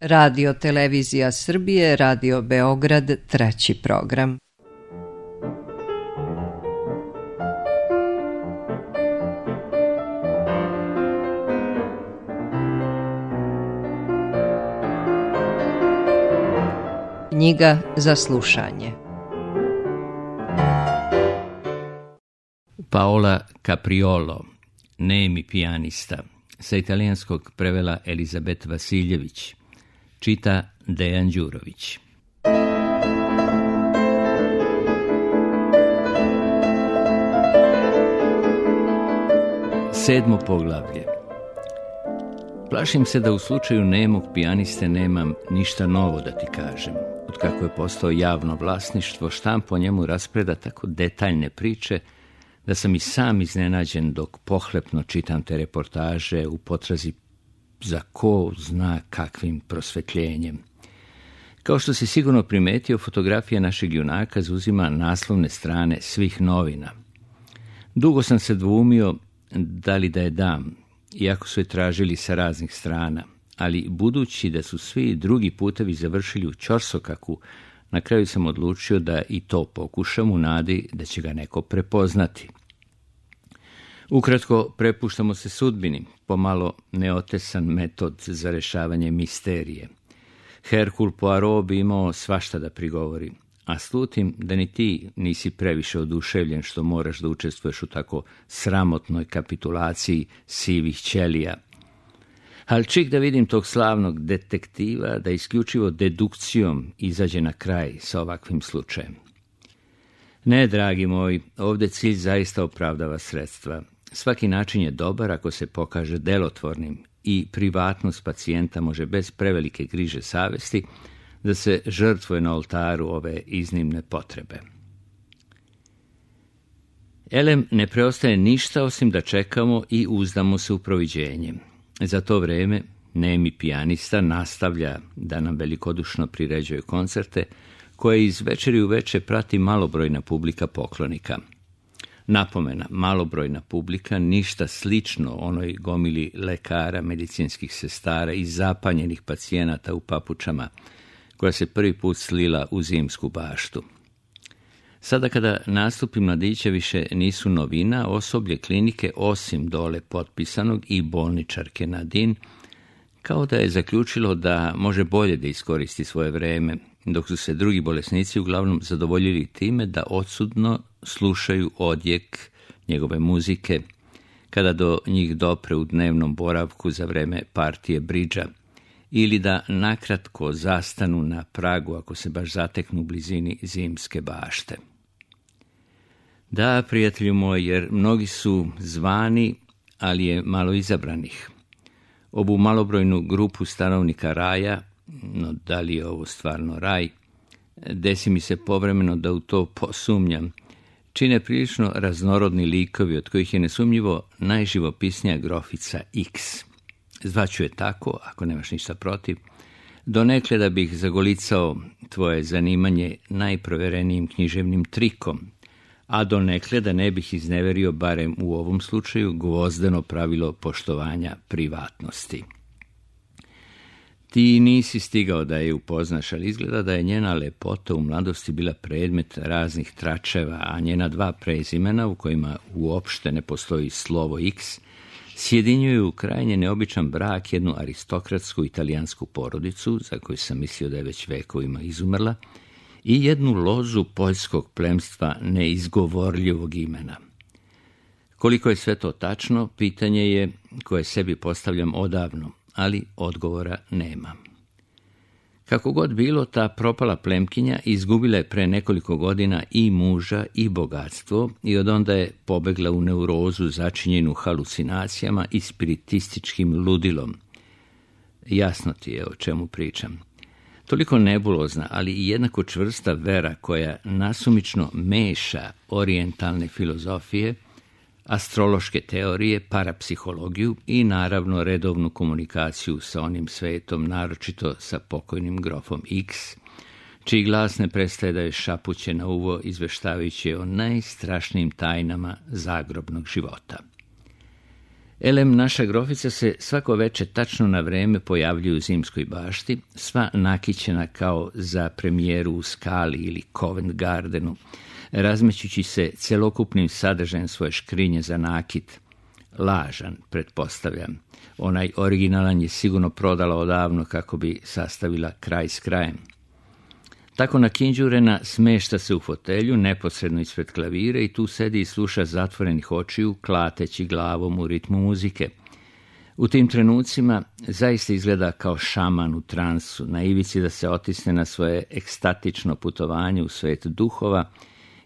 Radio Televizija Srbije, Radio Beograd, treći program. Knjiga za slušanje. Paola Capriolo, nemi pijanista, sa italijanskog prevela Elizabet Vasiljević, čita Dejan Đurović. Sedmo poglavlje. Plašim se da u slučaju nemog pijaniste nemam ništa novo da ti kažem. Otkako je postao javno vlasništvo, štampa o njemu raspreda tako detaljne priče da sam i sam iznenađen dok pohlepno čitam te reportaže u potrazi za ko zna kakvim prosvetljenjem. Kao što si sigurno primetio, fotografija našeg junaka zauzima naslovne strane svih novina. Dugo sam se dvoumio da li da je dam, iako su je tražili sa raznih strana, ali budući da su svi drugi putevi završili u ćorsokaku, na kraju sam odlučio da i to pokušam u nadi da će ga neko prepoznati. Ukratko, prepuštamo se sudbini, pomalo neotesan metod za rješavanje misterije. Hercule Poirot bi imao svašta da prigovori, a slutim da ni ti nisi previše oduševljen što moraš da učestvuješ u tako sramotnoj kapitulaciji sivih ćelija. Ali čik da vidim tog slavnog detektiva da isključivo dedukcijom izađe na kraj sa ovakvim slučajem. Ne, dragi moj, ovdje cilj zaista opravdava sredstva. Svaki način je dobar ako se pokaže delotvornim i privatnost pacijenta može bez prevelike griže savesti da se žrtvuje na oltaru ove iznimne potrebe. Elem, ne preostaje ništa osim da čekamo i uzdamo se u proviđenje. Za to vreme nemi pijanista nastavlja da nam velikodušno priređuje koncerte koje iz večeri u večer prati malobrojna publika poklonika. Napomena, malobrojna publika, ništa slično onoj gomili lekara, medicinskih sestara i zapanjenih pacijenata u papučama koja se prvi put slila u zimsku baštu. Sada kada nastupi mladića više nisu novina, osoblje klinike osim dole potpisanog i bolničarke Nadine, kao da je zaključilo da može bolje da iskoristi svoje vreme, dok su se drugi bolesnici uglavnom zadovoljili time da odsudno slušaju odjek njegove muzike kada do njih dopre u dnevnom boravku za vreme partije bridža, ili da nakratko zastanu na pragu ako se baš zateknu u blizini zimske bašte. Da, prijatelju moj, jer mnogi su zvani, ali je malo izabranih. Ovu malobrojnu grupu stanovnika raja, no da li je ovo stvarno raj, desi mi se povremeno da u to posumnjam, čine prilično raznorodni likovi, od kojih je nesumnjivo najživopisnija grofica X. Zvaću je tako, ako nemaš ništa protiv, donekle da bih zagolicao tvoje zanimanje najproverenijim književnim trikom, a donekle da ne bih izneverio, barem u ovom slučaju, gvozdeno pravilo poštovanja privatnosti. Ti nisi stigao da je upoznaš, ali izgleda da je njena lepota u mladosti bila predmet raznih tračeva, a njena dva prezimena, u kojima uopšte ne postoji slovo X, sjedinjuju krajnje neobičan brak jednu aristokratsku italijansku porodicu, za koju sam mislio da je već vekovima izumrla, i jednu lozu poljskog plemstva neizgovorljivog imena. Koliko je sve to tačno, pitanje je koje sebi postavljam odavno, ali odgovora nema. Kako god bilo, ta propala plemkinja izgubila je pre nekoliko godina i muža i bogatstvo i odonda je pobegla u neurozu začinjenu halucinacijama i spiritističkim ludilom. Jasno ti je o čemu pričam. Toliko nebulozna, ali i jednako čvrsta vera koja nasumično meša orijentalne filozofije, astrološke teorije, parapsihologiju i naravno redovnu komunikaciju sa onim svetom, naročito sa pokojnim grofom X, čiji glas ne prestaje da je šapuće na uvo izveštavajući o najstrašnijim tajnama zagrobnog života. Elem, naša grofica se svako veče tačno na vreme pojavljuje u Zimskoj bašti, sva nakićena kao za premijeru u Skali ili Covent Gardenu, razmećući se celokupnim sadržajem svoje škrinje za nakit. Lažan, pretpostavljam. Onaj originalan je sigurno prodala odavno kako bi sastavila kraj s krajem. Tako nakinđurena smešta se u fotelju neposredno ispred klavire i tu sedi i sluša zatvorenih očiju, klateći glavom u ritmu muzike. U tim trenucima zaista izgleda kao šaman u transu, na ivici da se otisne na svoje ekstatično putovanje u svet duhova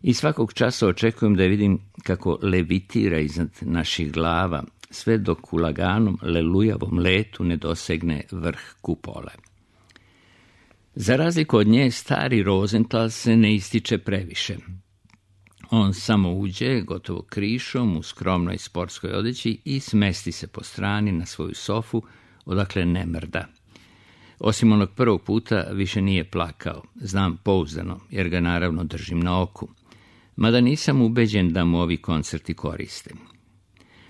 i svakog časa očekujem da je vidim kako levitira iznad naših glava, sve dok u laganom, lelujavom letu ne dosegne vrh kupole. Za razliku od nje, stari Rosenthal se ne ističe previše. On samo uđe, gotovo krišom, u skromnoj sportskoj odeći i smesti se po strani na svoju sofu, odakle ne mrda. Osim onog prvog puta više nije plakao, znam pouzdano, jer ga naravno držim na oku. Mada nisam ubeđen da mu ovi koncerti koriste.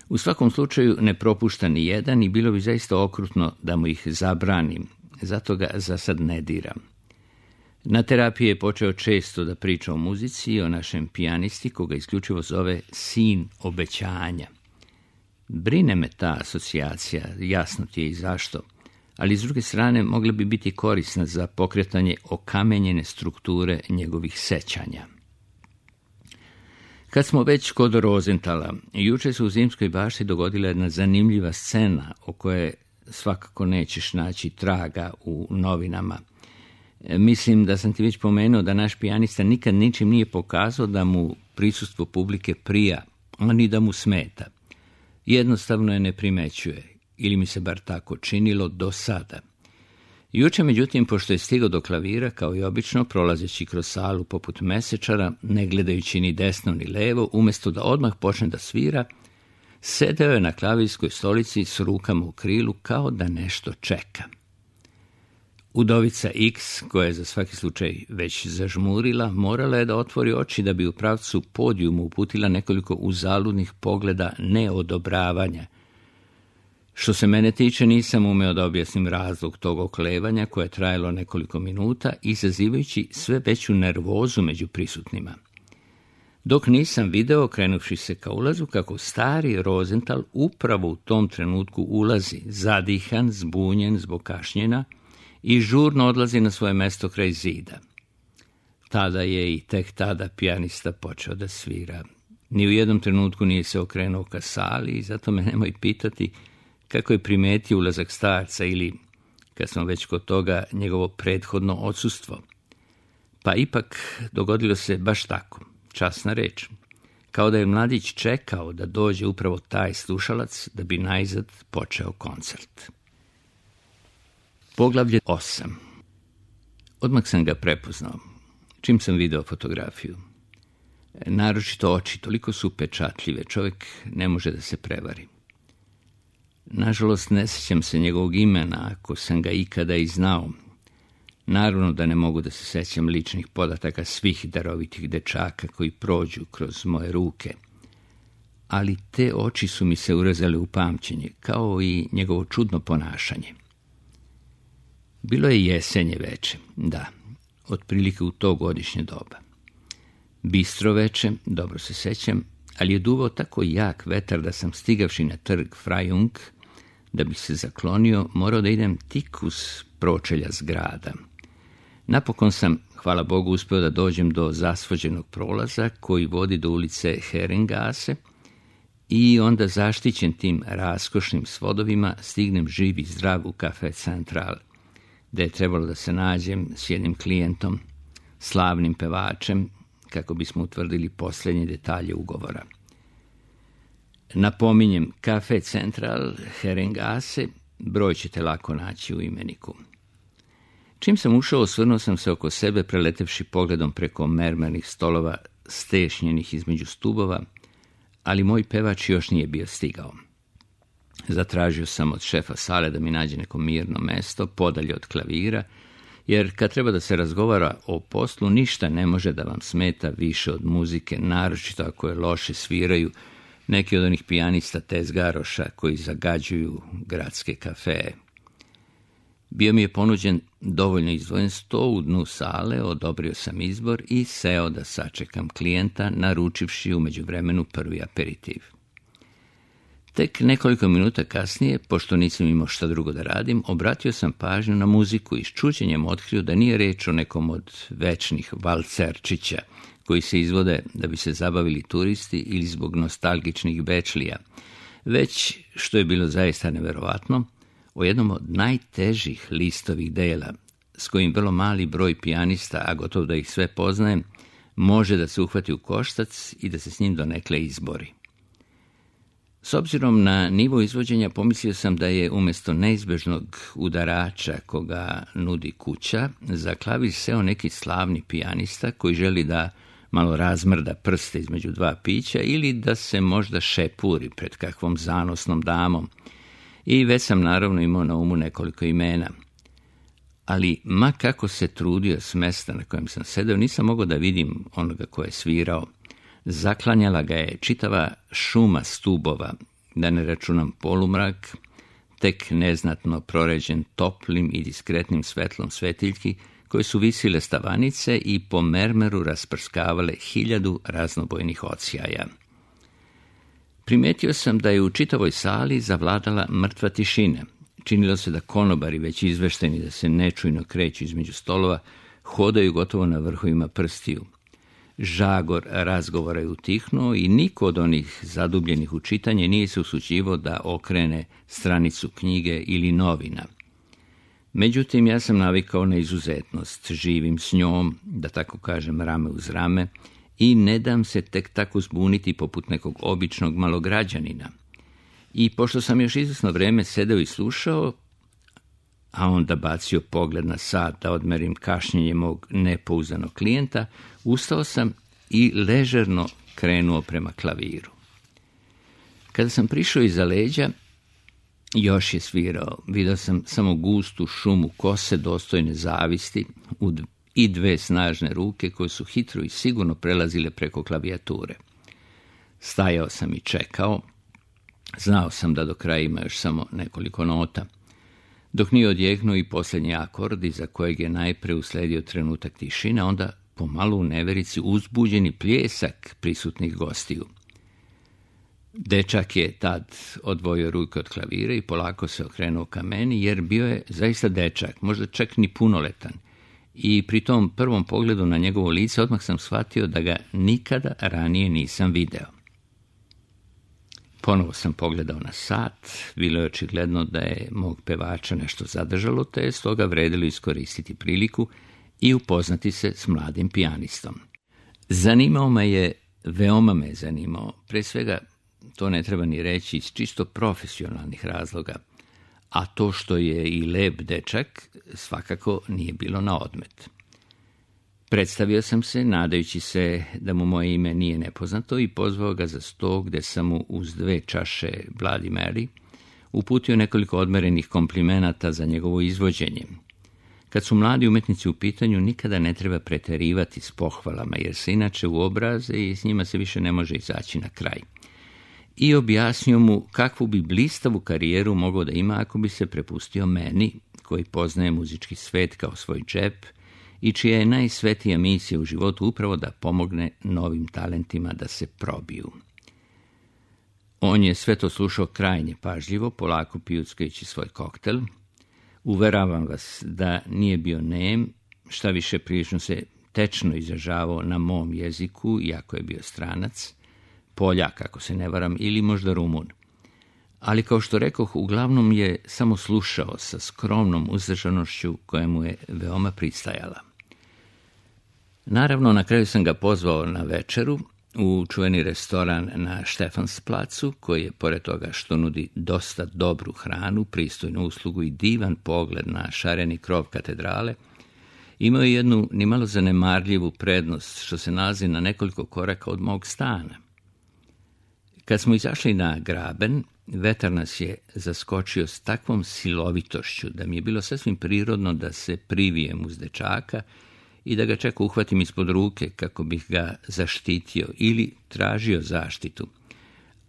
U svakom slučaju ne propušta ni jedan i bilo bi zaista okrutno da mu ih zabranim, zato ga za sad ne diram. Na terapiji je počeo često da priča o muzici i o našem pijanisti, koga isključivo zove sin obećanja. Brine me ta asocijacija, jasno ti je i zašto, ali s druge strane mogla bi biti korisna za pokretanje okamenjene strukture njegovih sećanja. Kad smo već kod Rosenthala, juče se u Zimskoj bašti dogodila jedna zanimljiva scena o kojoj svakako nećeš naći traga u novinama. Mislim da sam ti već pomenuo da naš pijanista nikad ničim nije pokazao da mu prisustvo publike prija, a ni da mu smeta. Jednostavno je ne primećuje, ili mi se bar tako činilo do sada. Juče, međutim, pošto je stigao do klavira, kao i obično, prolazeći kroz salu poput mesečara, ne gledajući ni desno ni levo, umjesto da odmah počne da svira, sedeo je na klavirskoj stolici s rukama u krilu kao da nešto čeka. Udovica X, koja je za svaki slučaj već zažmurila, morala je da otvori oči da bi u pravcu podijumu uputila nekoliko uzaludnih pogleda neodobravanja. Što se mene tiče, nisam umeo da objasnim razlog tog oklevanja koje je trajalo nekoliko minuta, izazivajući sve veću nervozu među prisutnima. Dok nisam video, krenuvši se ka ulazu, kako stari Rosenthal upravo u tom trenutku ulazi, zadihan, zbunjen zbog kašnjenja, i žurno odlazi na svoje mesto kraj zida. Tada je i tek tada pijanista počeo da svira. Ni u jednom trenutku nije se okrenuo ka sali i zato me nemoj pitati kako je primetio ulazak starca ili, kad smo već kod toga, njegovo prethodno odsustvo. Pa ipak dogodilo se baš tako, časna reč. Kao da je mladić čekao da dođe upravo taj slušalac da bi najzad počeo koncert. Poglavlje 8. Odmah sam ga prepoznao, čim sam video fotografiju. Naročito oči, toliko su upečatljive, čovjek ne može da se prevari. Nažalost, ne sjećam se njegovog imena, ako sam ga ikada i znao. Naravno da ne mogu da se sjećam ličnih podataka svih darovitih dečaka koji prođu kroz moje ruke. Ali te oči su mi se urezale u pamćenje, kao i njegovo čudno ponašanje. Bilo je jesenje veče, da, otprilike u to godišnje doba. Bistro veče, dobro se sećam, ali je duvao tako jak vetar da sam, stigavši na trg Frajung, da bih se zaklonio, morao da idem tik uz pročelja zgrada. Napokon sam, hvala Bogu, uspeo da dođem do zasvođenog prolaza koji vodi do ulice Herrengasse i onda, zaštićen tim raskošnim svodovima, stignem živ i zdrav u Café Central, gde je trebalo da se nađem s jednim klijentom, slavnim pevačem, kako bismo utvrdili posljednje detalje ugovora. Napominjem, Café Central, Herrengasse, broj ćete lako naći u imeniku. Čim sam ušao, osvrnuo sam se oko sebe, preletevši pogledom preko mermernih stolova stešnjenih između stubova, ali moj pevač još nije bio stigao. Zatražio sam od šefa sale da mi nađe neko mirno mesto, podalje od klavira, jer kad treba da se razgovara o poslu, ništa ne može da vam smeta više od muzike, naročito ako je loše sviraju, neki od onih pijanista tezgaroša koji zagađuju gradske kafeje. Bio mi je ponuđen dovoljno izdvojen sto u dnu sale, odobrio sam izbor i seo da sačekam klijenta, naručivši u međuvremenu prvi aperitiv. Tek nekoliko minuta kasnije, pošto nisam imao šta drugo da radim, obratio sam pažnju na muziku i s čuđenjem otkrio da nije reč o nekom od večnih valcerčića koji se izvode da bi se zabavili turisti ili zbog nostalgičnih bečlija, već, što je bilo zaista neverovatno, o jednom od najtežih listovih dela, s kojim vrlo mali broj pijanista, a gotovo da ih sve poznajem, može da se uhvati u koštac i da se s njim donekle izbori. S obzirom na nivo izvođenja, pomislio sam da je umjesto neizbežnog udarača koga nudi kuća, za klavir seo neki slavni pijanista koji želi da malo razmrda prste između dva pića ili da se možda šepuri pred kakvom zanosnom damom. I već sam naravno imao na umu nekoliko imena. Ali ma kako se trudio s mesta na kojem sam sedeo, nisam mogao da vidim onoga ko je svirao. Zaklanjala ga je čitava šuma stubova, da ne računam polumrak, tek neznatno proređen toplim i diskretnim svetlom svetiljki, koje su visile stavanice i po mermeru rasprskavale 1000 raznobojnih odsjaja. Primetio sam da je u čitavoj sali zavladala mrtva tišina. Činilo se da konobari, već izvešteni da se nečujno kreću između stolova, hodaju gotovo na vrhovima prstiju. Žagor razgovora je utihnuo i niko od onih zadubljenih u čitanje nije se usuđivao da okrene stranicu knjige ili novina. Međutim, ja sam navikao na izuzetnost, živim s njom, da tako kažem, rame uz rame, i ne dam se tek tako zbuniti poput nekog običnog malograđanina. I pošto sam još izvesno vreme sedeo i slušao, a onda bacio pogled na sat da odmerim kašnjenje mog nepouzdanog klijenta, ustao sam i ležerno krenuo prema klaviru. Kada sam prišao iza leđa, još je svirao. Vidio sam samo gustu šumu kose dostojne zavisti i dve snažne ruke koje su hitro i sigurno prelazile preko klavijature. Stajao sam i čekao. Znao sam da do kraja ima još samo nekoliko nota. Dok nije odjeknuo i posljednji akord, iza kojeg je najpre usledio trenutak tišine, onda pomalo u neverici uzbuđeni pljesak prisutnih gostiju. Dečak je tad odvojio ruke od klavira i polako se okrenuo ka meni, jer bio je zaista dečak, možda čak ni punoletan. I pri tom prvom pogledu na njegovo lice odmah sam shvatio da ga nikada ranije nisam video. Ponovo sam pogledao na sat, bilo je očigledno da je mog pevača nešto zadržalo, te je stoga vredilo iskoristiti priliku i upoznati se s mladim pijanistom. Zanimao me je, veoma me je zanimao, pre svega, to ne treba ni reći, iz čisto profesionalnih razloga, a to što je i lep dečak svakako nije bilo na odmet. Predstavio sam se, nadajući se da mu moje ime nije nepoznato, i pozvao ga za sto gde sam mu uz 2 čaše Bloody Mary uputio nekoliko odmerenih komplimenata za njegovo izvođenje. Kad su mladi umetnici u pitanju, nikada ne treba preterivati s pohvalama, jer se inače uobraze i s njima se više ne može izaći na kraj. I objasnio mu kakvu bi blistavu karijeru mogao da ima ako bi se prepustio meni, koji poznaje muzički svet kao svoj džep i čija je najsvetija misija u životu upravo da pomogne novim talentima da se probiju. On je sve to slušao krajnje pažljivo, polako pijuckajući svoj koktel. Uveravam vas da nije bio nem, šta više prilično se tečno izražavao na mom jeziku, iako je bio stranac, Poljak, ako se ne varam, ili možda Rumun. Ali, kao što rekoh, uglavnom je samo slušao sa skromnom uzdržanošću koja mu je veoma pristajala. Naravno, na kraju sam ga pozvao na večeru u čuveni restoran na Štefansplacu, koji je, pored toga što nudi dosta dobru hranu, pristojnu uslugu i divan pogled na šareni krov katedrale, imao je jednu nimalo zanemarljivu prednost što se nalazi na nekoliko koraka od mog stana. Kad smo izašli na graben, vetar nas je zaskočio s takvom silovitošću da mi je bilo sasvim prirodno da se privijem uz dečaka i da ga čak uhvatim ispod ruke kako bih ga zaštitio ili tražio zaštitu.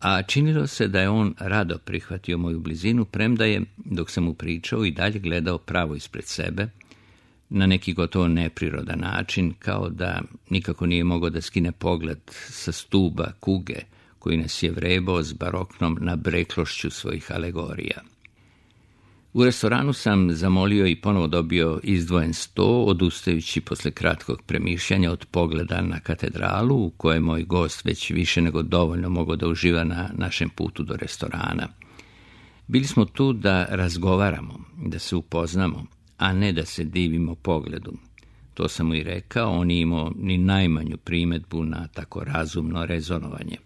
a činilo se da je on rado prihvatio moju blizinu, premda je, dok sam mu pričao, i dalje gledao pravo ispred sebe, na neki gotovo neprirodan način, kao da nikako nije mogao da skine pogled sa stuba kuge koji nas je vrebao s baroknom nabreklošću svojih alegorija. U restoranu sam zamolio i ponovo dobio izdvojen sto, odustajući posle kratkog premišljanja od pogleda na katedralu, u kojoj moj gost već više nego dovoljno mogao da uživa na našem putu do restorana. Bili smo tu da razgovaramo, da se upoznamo, a ne da se divimo pogledu. To sam mu i rekao, on nije imao ni najmanju primedbu na tako razumno rezonovanje.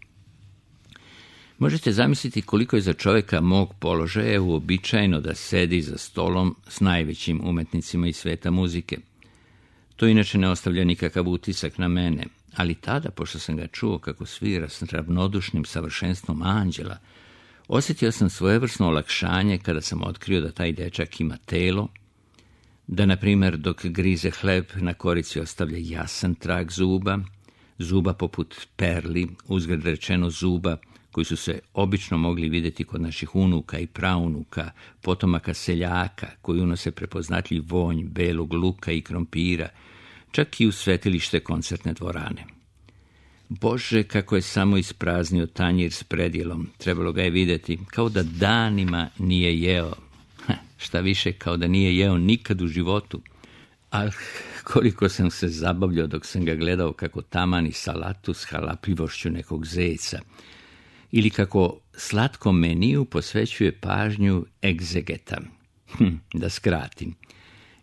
Možete zamisliti koliko je za čovjeka mog položaja uobičajeno da sedi za stolom s najvećim umetnicima iz sveta muzike. To inače ne ostavlja nikakav utisak na mene, ali tada, pošto sam ga čuo kako svira s ravnodušnim savršenstvom anđela, osjetio sam svojevrsno olakšanje kada sam otkrio da taj dečak ima telo, da, na primjer, dok grize hleb na korici ostavlja jasan trag zuba poput perli, uzgred rečeno zuba, koji su se obično mogli vidjeti kod naših unuka i praunuka, potomaka seljaka, koji unose prepoznatljiv vonj belog luka i krompira, čak i u svetilište koncertne dvorane. Bože, kako je samo ispraznio tanjir s predjelom, trebalo ga je vidjeti, kao da danima nije jeo. Šta više, kao da nije jeo nikad u životu. Ali koliko sam se zabavljao dok sam ga gledao kako tamani salatu s halapljivošću nekog zeca, ili kako slatkom meniju posvećuje pažnju egzegeta. Da skratim.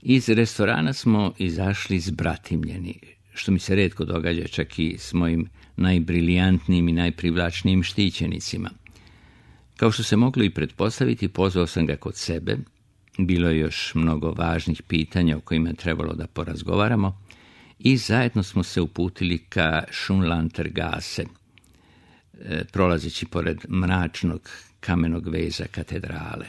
Iz restorana smo izašli zbratimljeni, što mi se retko događa čak i s mojim najbrilijantnijim i najprivlačnijim štićenicima. Kao što se moglo i pretpostaviti, pozvao sam ga kod sebe. Bilo je još mnogo važnih pitanja o kojima je trebalo da porazgovaramo i zajedno smo se uputili ka Schönlandtergasse, prolazeći pored mračnog kamenog veza katedrale.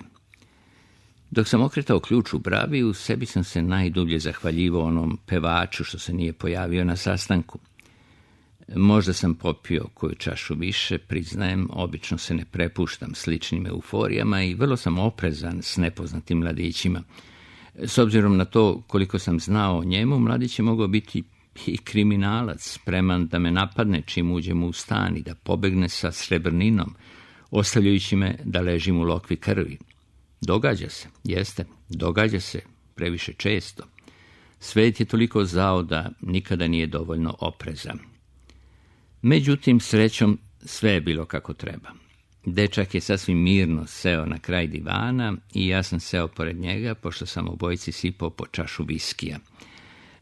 Dok sam okretao ključ u bravi, u sebi sam se najdublje zahvaljivao onom pevaču što se nije pojavio na sastanku. Možda sam popio koju čašu više, priznajem, obično se ne prepuštam sličnim euforijama i vrlo sam oprezan s nepoznatim mladićima. S obzirom na to koliko sam znao o njemu, mladić je mogao biti i kriminalac, spreman da me napadne čim uđem u stan i da pobegne sa srebrninom, ostavljajući me da ležim u lokvi krvi. Događa se, jeste, događa se previše često. Svet je toliko zao da nikada nije dovoljno oprezan. Međutim, srećom, sve je bilo kako treba. Dečak je sasvim mirno seo na kraj divana i ja sam seo pored njega, pošto sam obojici sipao po čašu viskija.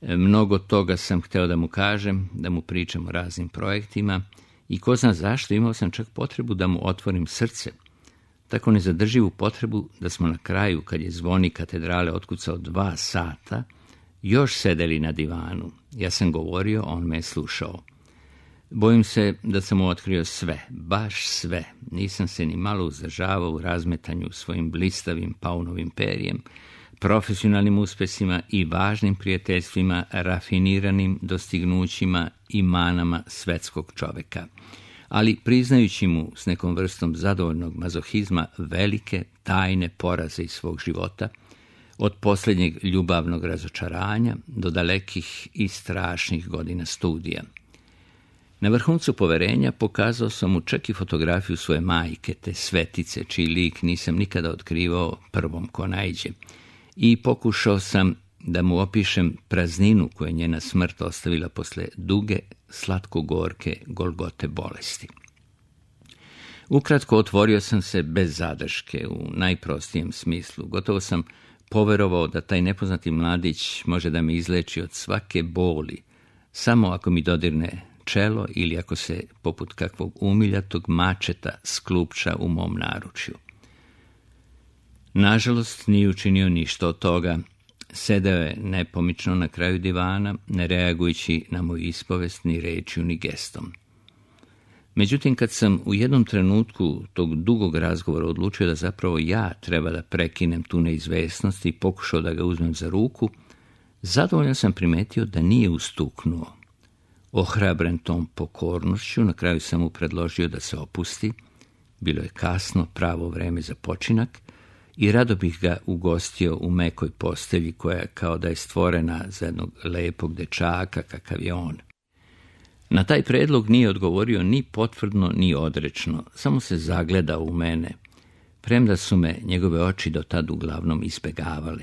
Mnogo toga sam hteo da mu kažem, da mu pričam o raznim projektima i ko zna zašto imao sam čak potrebu da mu otvorim srce. Tako nezadrživu potrebu da smo na kraju, kad je zvonik katedrale otkucao 2 sata, još sedeli na divanu. Ja sam govorio, on me je slušao. Bojim se da sam mu otkrio sve, baš sve. Nisam se ni malo uzdržavao u razmetanju svojim blistavim paunovim perijem, profesionalnim uspesima i važnim prijateljstvima, rafiniranim dostignućima i manama svetskog čoveka, ali priznajući mu s nekom vrstom zadovoljnog mazohizma velike, tajne poraze iz svog života, od posljednjeg ljubavnog razočaranja do dalekih i strašnih godina studija. Na vrhuncu poverenja pokazao sam mu čak i fotografiju svoje majke, te svetice, čiji lik nisam nikada otkrivao prvom ko naiđe, i pokušao sam da mu opišem prazninu koju je njena smrt ostavila posle duge, slatko-gorke Golgote bolesti. Ukratko, otvorio sam se bez zadrške, u najprostijem smislu. Gotovo sam poverovao da taj nepoznati mladić može da me izleči od svake boli, samo ako mi dodirne čelo ili ako se, poput kakvog umiljatog mačeta, sklupča u mom naručju. Nažalost, nije učinio ništa od toga. Sedeo je nepomično na kraju divana, ne reagujući na moju ispovest ni rečju ni gestom. Međutim, kad sam u jednom trenutku tog dugog razgovora odlučio da zapravo ja treba da prekinem tu neizvesnost i pokušao da ga uzmem za ruku, zadovoljno sam primetio da nije ustuknuo. Ohrabren tom pokornošću, na kraju sam mu predložio da se opusti Bilo je kasno, pravo vreme za počinak i rado bih ga ugostio u mekoj postelji koja kao da je stvorena za jednog lepog dečaka kakav je on. Na taj predlog nije odgovorio ni potvrdno ni odrečno, samo se zagledao u mene, premda su me njegove oči do tad uglavnom izbegavale.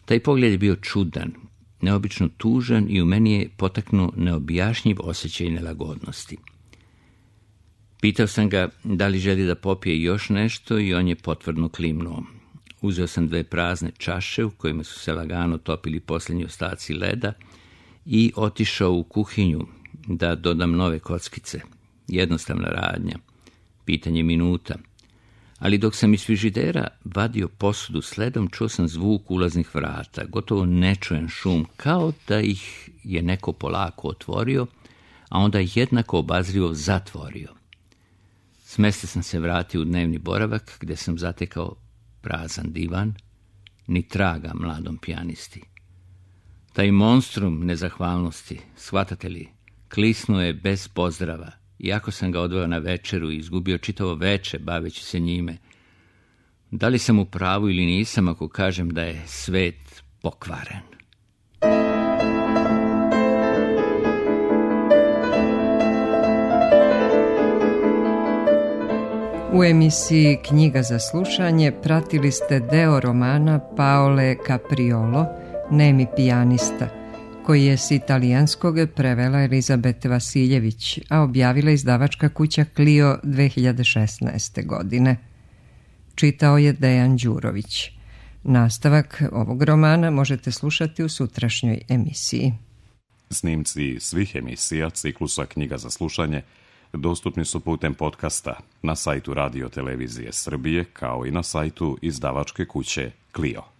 Taj pogled je bio čudan, neobično tužan i u meni je potaknuo neobjašnjiv osjećaj nelagodnosti. Pitao sam ga da li želi da popije još nešto i on je potvrdno klimnuo. Uzeo sam 2 prazne čaše u kojima su se lagano topili posljednji ostaci leda i otišao u kuhinju da dodam nove kockice. Jednostavna radnja, pitanje minuta. Ali dok sam iz frižidera vadio posudu s ledom, čuo sam zvuk ulaznih vrata, gotovo nečujen šum, kao da ih je neko polako otvorio, a onda jednako obazrivo zatvorio. S mjesta sam se vratio u dnevni boravak, gdje sam zatekao prazan divan, ni traga mladom pijanisti. Taj monstrum nezahvalnosti, shvatate li, klisnuo je bez pozdrava, iako sam ga odveo na večeru i izgubio čitavo veče baveći se njime. Da li sam u pravu ili nisam ako kažem da je svet pokvaren? U emisiji Knjiga za slušanje pratili ste deo romana Paole Capriolo, Nemi pijanista, koji je s italijanskog prevela Elizabet Vasiljević, a objavila izdavačka kuća Clio 2016. godine. Čitao je Dejan Đurović. Nastavak ovog romana možete slušati u sutrašnjoj emisiji. Snimci svih emisija ciklusa Knjiga za slušanje dostupni su putem podcasta na sajtu Radio Televizije Srbije kao i na sajtu izdavačke kuće Clio.